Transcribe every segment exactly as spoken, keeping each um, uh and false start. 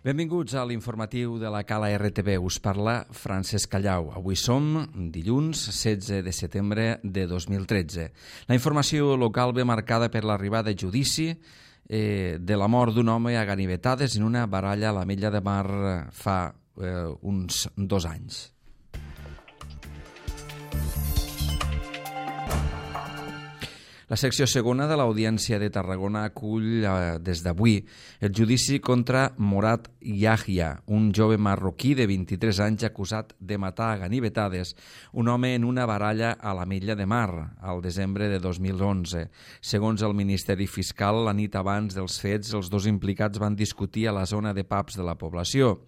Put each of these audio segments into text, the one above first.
Benvinguts a l'informatiu de la Cala R T V. Us parla Francesc Callau. Avui som dilluns setze de setembre de dos mil tretze. La informació local ve marcada per l'arribada a judici eh, de la mort d'un home a ganivetades en una baralla a l'Ametlla de Mar fa eh, uns dos anys. La secció segona de l'Audiència de Tarragona acull eh, des d'avui el judici contra Morat Yahya, un jove marroquí de vint-i-tres anys acusat de matar a ganivetades un home en una baralla a l'Ametlla de Mar al desembre de dos mil onze. Segons el Ministeri Fiscal, la nit abans dels fets, els dos implicats van discutir a la zona de pubs de la població.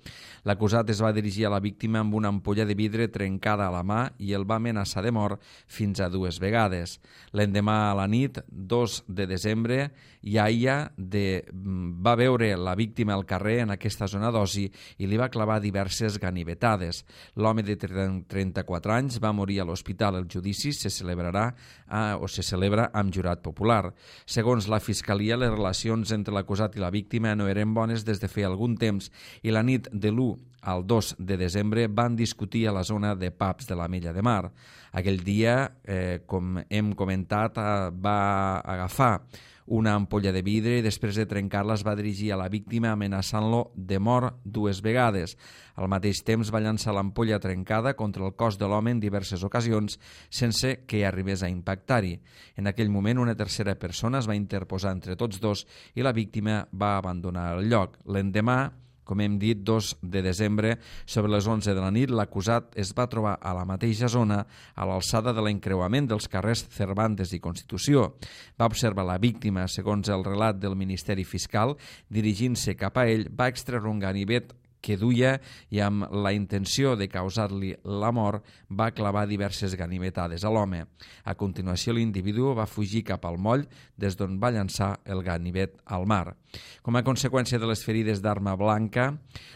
L'acusat es va dirigir a la víctima amb una ampolla de vidre trencada a la mà i el va amenaçar de mort fins a dues vegades. L'endemà a la nit, dos de desembre, Yahya de, va veure la víctima al carrer en aquesta zona d'oci i li va clavar diverses ganivetades. L'home de trenta-quatre anys va morir a l'hospital. El judici se celebrarà eh, o se celebra amb jurat popular. Segons la Fiscalia, les relacions entre l'acusat i la víctima no eren bones des de feia algun temps i la nit de l'u al dos de desembre van discutir a la zona de pubs de l'Ametlla de Mar. Aquell dia, eh, com hem comentat, eh, va agafar una ampolla de vidre i després de trencar-la es va dirigir a la víctima amenaçant-lo de mort dues vegades. Al mateix temps va llançar l'ampolla trencada contra el cos de l'home en diverses ocasions sense que arribés a impactar-hi. En aquell moment una tercera persona es va interposar entre tots dos i la víctima va abandonar el lloc. L'endemà, com hem dit, dos de desembre, sobre les onze de la nit, l'acusat es va trobar a la mateixa zona, a l'alçada de l'encreuament dels carrers Cervantes i Constitució. Va observar la víctima, segons el relat del Ministeri Fiscal, dirigint-se cap a ell, va extreure un ganivet que duia i amb la intenció de causar-li la mort va clavar diverses ganivetades a l'home. A continuació, l'individu va fugir cap al moll des d'on va llançar el ganivet al mar. Com a conseqüència de les ferides d'arma blanca,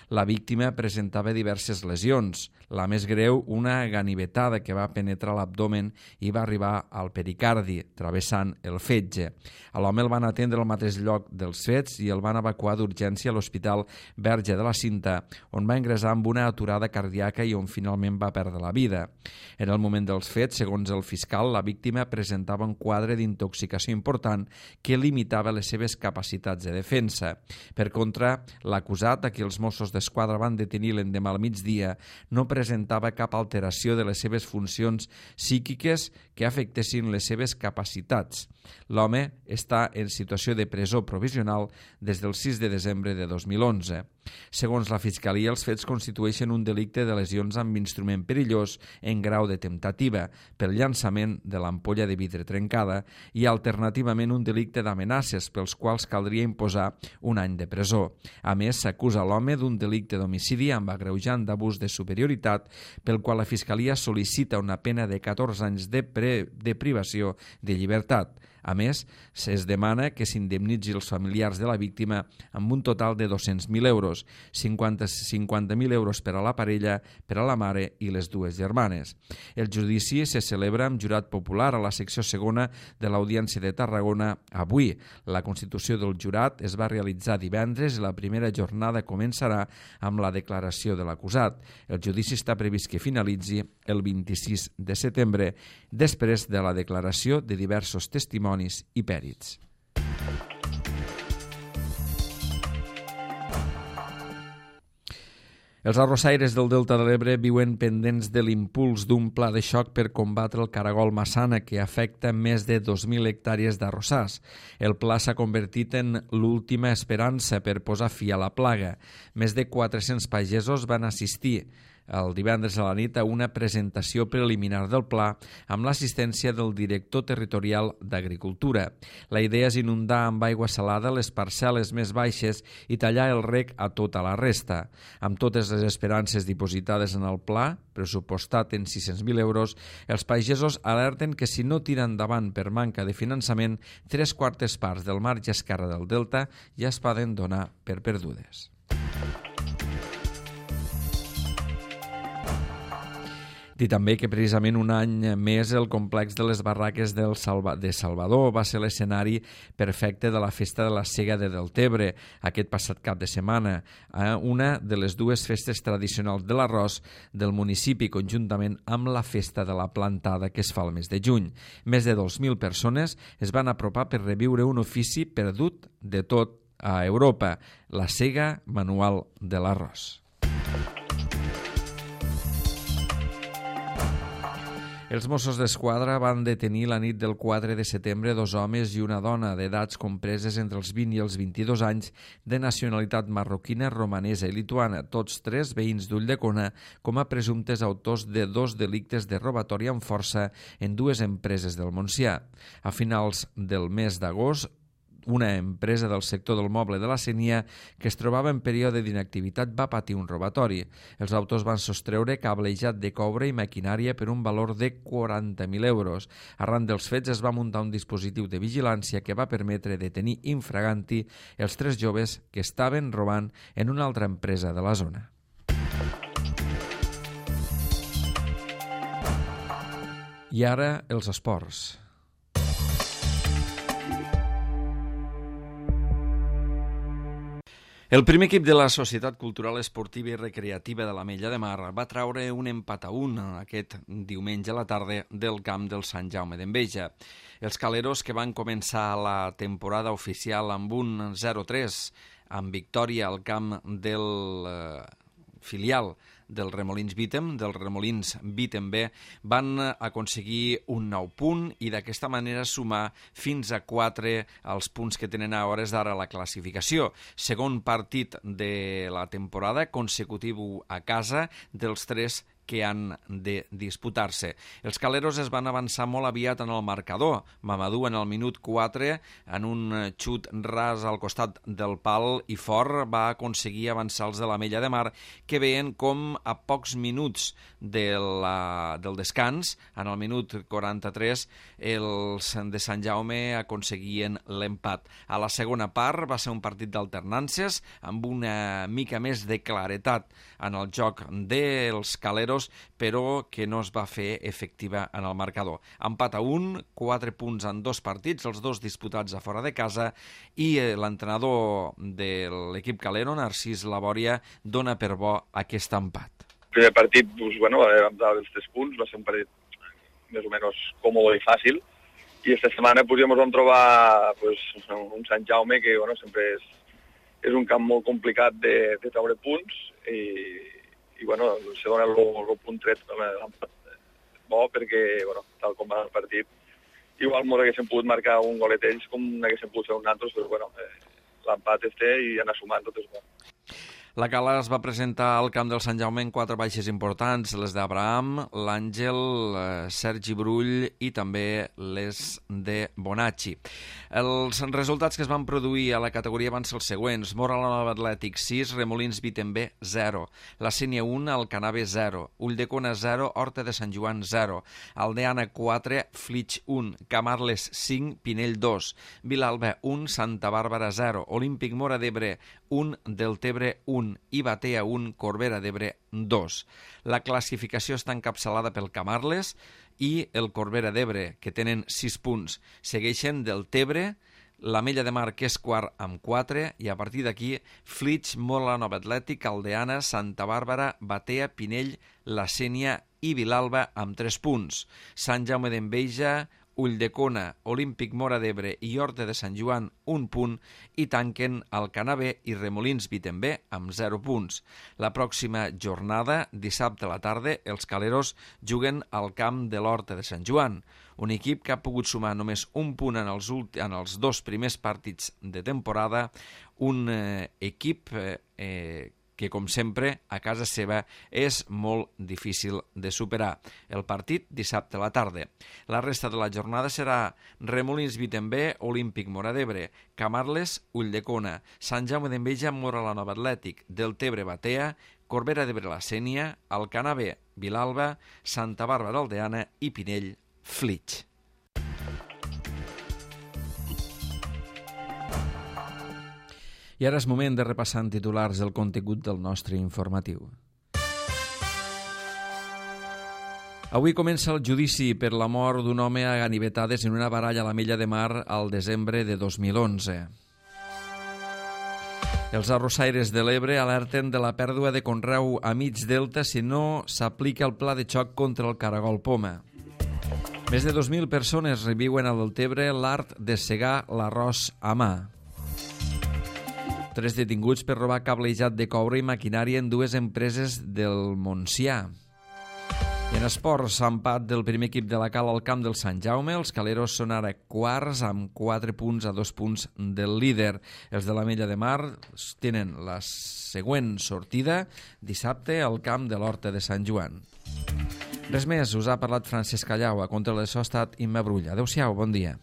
la víctima presentava diverses lesions. La més greu, una ganivetada que va penetrar l'abdomen i va arribar al pericardi, travessant el fetge. A l'home el van atendre al mateix lloc dels fets i el van evacuar d'urgència a l'Hospital Verge de la Cinta, on va ingressar amb una aturada cardíaca i on finalment va perdre la vida. En el moment dels fets, segons el fiscal, la víctima presentava un quadre d'intoxicació important que limitava les seves capacitats de defensa. Per contra, l'acusat, a qui els Mossos d'Esquadra van detenir l'endemà al migdia, no presentava cap alteració de les seves funcions psíquiques que afectessin les seves capacitats. L'home està en situació de presó provisional des del sis de desembre de dos mil onze. Segons la Fiscalia, els fets constitueixen un delicte de lesions amb instrument perillós en grau de temptativa pel llançament de l'ampolla de vidre trencada i alternativament un delicte d'amenaces pels quals caldria imposar un any de presó. A més, s'acusa l'home d'un delicte d'homicidi amb agreujant d'abús de superioritat pel qual la Fiscalia sol·licita una pena de catorze anys de, pre, de privació de llibertat. A més, es demana que s'indemnitzi els familiars de la víctima amb un total de dos-cents mil euros, cinquanta mil euros per a la parella, per a la mare i les dues germanes. El judici se celebra amb jurat popular a la secció segona de l'Audiència de Tarragona avui. La constitució del jurat es va realitzar divendres i la primera jornada començarà amb la declaració de l'acusat. El judici està previst que finalitzi el vint-i-sis de setembre, després de la declaració de diversos testimonis i pèrits. Els arrossaires del Delta de l'Ebre viuen pendents de l'impuls d'un pla de xoc per combatre el caragol massana que afecta més de dos mil hectàrees d'arrossars. El pla s'ha convertit en l'última esperança per posar fi a la plaga. Més de quatre-cents pagesos van assistir el divendres a la nit a una presentació preliminar del pla amb l'assistència del director territorial d'Agricultura. La idea és inundar amb aigua salada les parcel·les més baixes i tallar el reg a tota la resta. Amb totes les esperances dipositades en el pla, pressupostat en sis-cents mil euros, els pagesos alerten que si no tiren endavant per manca de finançament, tres quartes parts del marge esquerre del delta ja es poden donar per perdudes. Dir també que precisament un any més el complex de les barraques del Salva... de Salvador va ser l'escenari perfecte de la festa de la Sega de Deltebre aquest passat cap de setmana, eh? una de les dues festes tradicionals de l'arròs del municipi, conjuntament amb la festa de la plantada que es fa el mes de juny. Més de dos mil persones es van apropar per reviure un ofici perdut de tot a Europa, la sega manual de l'arròs. Els Mossos d'Esquadra van detenir la nit del quatre de setembre dos homes i una dona d'edats compreses entre els vint i els vint-i-dos anys de nacionalitat marroquina, romanesa i lituana, tots tres veïns d'Ulldecona, com a presumptes autors de dos delictes de robatori amb força en dues empreses del Montsià. A finals del mes d'agost, una empresa del sector del moble de la Sénia que es trobava en període d'inactivitat va patir un robatori. Els autors van sostreure cablejat de coure i maquinària per un valor de quaranta mil euros. Arran dels fets es va muntar un dispositiu de vigilància que va permetre detenir infraganti els tres joves que estaven robant en una altra empresa de la zona. I ara els esports. El primer equip de la Societat Cultural Esportiva i Recreativa de l'Ametlla de Mar va traure un empat a un aquest diumenge a la tarda del camp del Sant Jaume d'Enveja. Els caleros, que van començar la temporada oficial amb un zero tres, amb victòria al camp del eh, filial del Remolins Bítem, del Remolins Bítem B, van aconseguir un nou punt i d'aquesta manera sumar fins a quatre els punts que tenen a hores d'ara la classificació. Segon partit de la temporada consecutiu a casa dels tres que han de disputar-se. Els caleros es van avançar molt aviat en el marcador. Mamadou en el minut quatre, en un xut ras al costat del pal i fort, va aconseguir avançar els de l'Ametlla de Mar, que veien com a pocs minuts de la, del descans, en el minut quaranta-tres, els de Sant Jaume aconseguien l'empat. A la segona part va ser un partit d'alternàncies, amb una mica més de claretat en el joc dels caleros, però que no es va fer efectiva en el marcador. Empat a un, quatre punts en dos partits, els dos disputats a fora de casa, i l'entrenador de l'equip calero, Narcís Labòria, dona per bo aquest empat. El primer partit, doncs, bueno, vam dar els tres punts, va ser un partit més o menys còmode i fàcil, i aquesta setmana pues, ja ens vam trobar pues, un Sant Jaume que bueno, sempre és, és un camp molt complicat de, de treure punts, i i bueno, se dona el, el punt tret bo perquè, bueno, tal com va el partit, igual ens haguéssim pogut marcar un golet ells com n'haguéssim pogut fer un altre, però bueno, eh, l'empat es té i anar sumant tot és bo. La Cala es va presentar al camp del Sant Jaume en quatre baixes importants, les d'Abraham, l'Àngel, eh, Sergi Brull i també les de Bonacci. Els resultats que es van produir a la categoria van ser els següents: Móra la Nova Atlètic sis, Remolins Bítem B zero, la Sénia un, Alcanave zero, Ulldecona zero, Horta de Sant Joan zero, Aldeana quatre, Flix un, Camarles cinc, Pinell dos, Vilalba un, Santa Bàrbara zero, Olímpic Móra d'Ebre un, Deltebre un i Batea un, Corbera d'Ebre dos. La classificació està encapçalada pel Camarles i el Corbera d'Ebre, que tenen sis punts. Segueixen Deltebre, l'Ametlla de Mar, que és quart amb quatre, i a partir d'aquí Flix, Móra la Nova Atlètic, Aldeana, Santa Bàrbara, Batea, Pinell, la Sénia i Vilalba amb tres punts. Sant Jaume d'Enveja, Ulldecona, Olímpic Móra d'Ebre i Horta de Sant Joan un punt i tanquen Alcanave i Remolins Bítem B amb zero punts. La pròxima jornada, dissabte a la tarda, els caleros juguen al camp de l'Horta de Sant Joan, un equip que ha pogut sumar només un punt en els, en els dos primers partits de temporada, un eh, equip eh, eh, que, com sempre, a casa seva és molt difícil de superar. El partit dissabte a la tarda. La resta de la jornada serà Remolins Bítem B, Olímpic Móra d'Ebre, Camarles, Ulldecona, Sant Jaume d'Enveja, Móra la Nova Atlètic, Deltebre, Batea, Corbera d'Ebre, la Sénia, Alcanave, Vilalba, Santa Bàrbara, Aldeana i Pinell, Flix. I ara és moment de repassar en titulars el contingut del nostre informatiu. Avui comença el judici per la mort d'un home a ganivetades en una baralla a la Mella de Mar al desembre de dos mil onze. Els arrossaires de l'Ebre alerten de la pèrdua de conreu a mig delta si no s'aplica el pla de xoc contra el caragol poma. Més de dos mil persones reviuen a Deltebre l'art de segar l'arròs a mà. Tres detinguts per robar cablejat de coure i maquinària en dues empreses del Montsià. En esports, empat del primer equip de la Cal al camp del Sant Jaume. Els caleros són ara quarts amb quatre punts a dos punts del líder. Els de la Mella de Mar tenen la següent sortida dissabte al camp de l'Horta de Sant Joan. Res més, us ha parlat Francesc Callau. A contra de això ha estat Imma Brull. Adéu-siau, bon dia.